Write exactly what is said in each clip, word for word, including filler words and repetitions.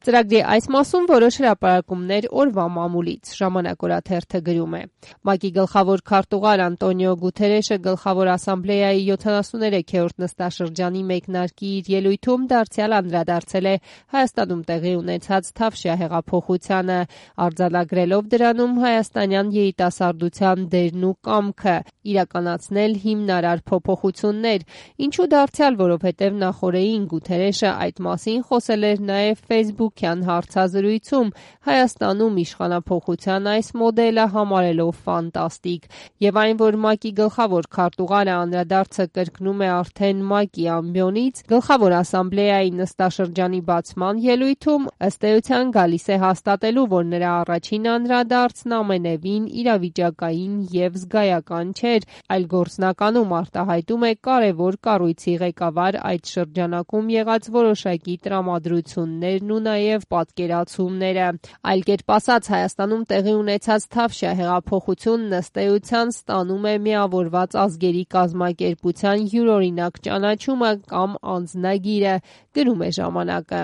Ծրագրի այս մասում որոշ հրապարակումներ օրվա մամուլից, Ժամանակ օրաթերթը գրում է. ՄԱԿ-ի գլխավոր քարտուղար Անտոնիո Գուտերեշը Գլխավոր ասամբլեայի յոթանասուններեքերորդ նստաշրջանի մեկնարկի իր ելույթում դարձյալ անդրադարձել է Հայաստանում տեղի ունեցած Թավշյա հեղափոխությանը, արձանագրելով դրանում հայաստանյան երիտասարդության դերն ու կամքը իրականացնել հիմնարար փոփոխություններ, ինչու դարձյալ, որովհետև նախօրեին Գուտերեշը այդ մասին խոսել էր նաև Facebook-յան հարցազրույցում, Հայաստանում իշխանափոխության այս մոդելը համարելով ֆանտաստիկ, եւ այն, որ ՄԱԿ-ի գլխավոր քարտուղարը անդրադարձը կրկնում է արդեն ՄԱԿ-ի ամբիոնից, Գլխավոր ասամբլեայի նստաշրջանի բացման ելույթում ըստ էության գալիս է հաստատելու, որ նրա առաջին անդրադարձն ամենևին իրավիճակային եւ զգայական չէր, այլ գործնականում արտահայտում է կարևոր կառույցի ղեկավար այդ շրջանակում եղած որոշակի տրամադրություններն ու նաև պատկերացումները։ Այլ կերպ ասած, Հայաստանում տեղի ունեցած Թավշյա հեղափոխությունն ըստ էության ստանում է միավորված ազգերի կազմակերպության յուրօրինակ ճանաչումը կամ անձնագիրը, գրում է Ժամանակը։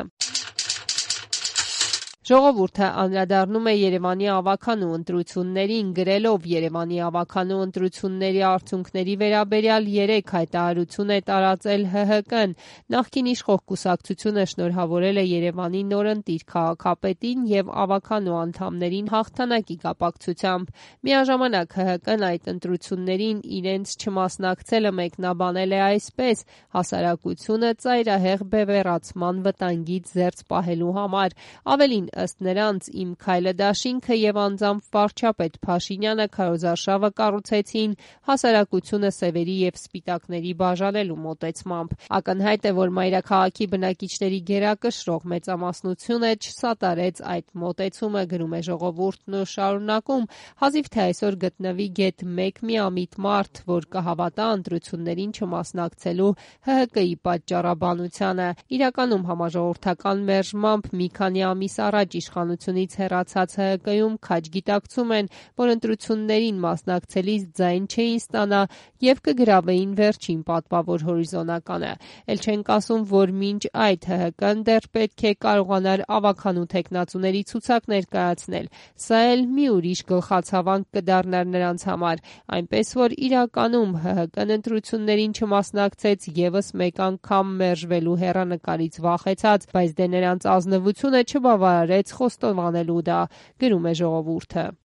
Ժողովուրդը անդրադառնում է Երևանի ավագանու ընտրություններին, գրելով Երևանի ավագանու ընտրությունների արդյունքների վերաբերյալ երեք հայտարարություն է տարածել ՀՀԿ-ն։ Նախկին իշխող կուսակցությունը շնորհավորել է Երևանի նորընտիր քաղաքապետին եւ ավագանու անդամներին հաղթանակի կապակցությամբ։ Միաժամանակ ՀՀԿ-ն այդ ընտրություններին իրենց չմասնակցելը մեկնաբանել է այսպես. հասարակությունը ծայրահեղ բևեռացման վտանգից զերծ պահելու համար։ Ավելին, ըստ նրանց, Իմ քայլը դաշինքը եւ անձամբ վարչապետ Փաշինյանը քարոզարշավը կառուցեցին հասարակությունը սևերի եւ սպիտակների բաժանելու մոտեցմամբ։ Ակնհայտ է, որ մայրաքաղաքի բնակիչների գերակշռող մեծամասնությունը չսատարեց այդ մոտեցումը, գրում է Ժողովուրդն ու շարունակում. հազիվ թե այսօր գտնվի գեթ մեկ միամիտ մարդ, որ կհավատա ընտրություններին չմասնակցելու ՀՀԿ-ի պատճառաբանությանը։ Իրականում համաժողովրդական մերժմամբ մի քանի ամիս առաջ իշխանությունից հեռացած ՀՀԿ-ում քաջ գիտակցում են, որ ընտրություններին մասնակցելիս ձայն չէին ստանա եւ կգրավեին վերջին պատվավոր հորիզոնականը։ Էլ չենք ասում, որ մինչ այդ ՀՀԿ-ն դեռ պետք է կարողանար ավագանու թեկնածուների ցուցակ ներկայացնել։ Սա էլ մի ուրիշ գլխացավանք կդառնար նրանց համար, այնպես որ իրականում ՀՀԿ-ն ընտրություններին չմասնակցեց եւս մեկ անգամ մերժվելու հեռանկարից վախեցած, բայց դե նրանց ազնվությունը չբավարարեց խոստովանելու դա, գրում է Ժողովուրդը։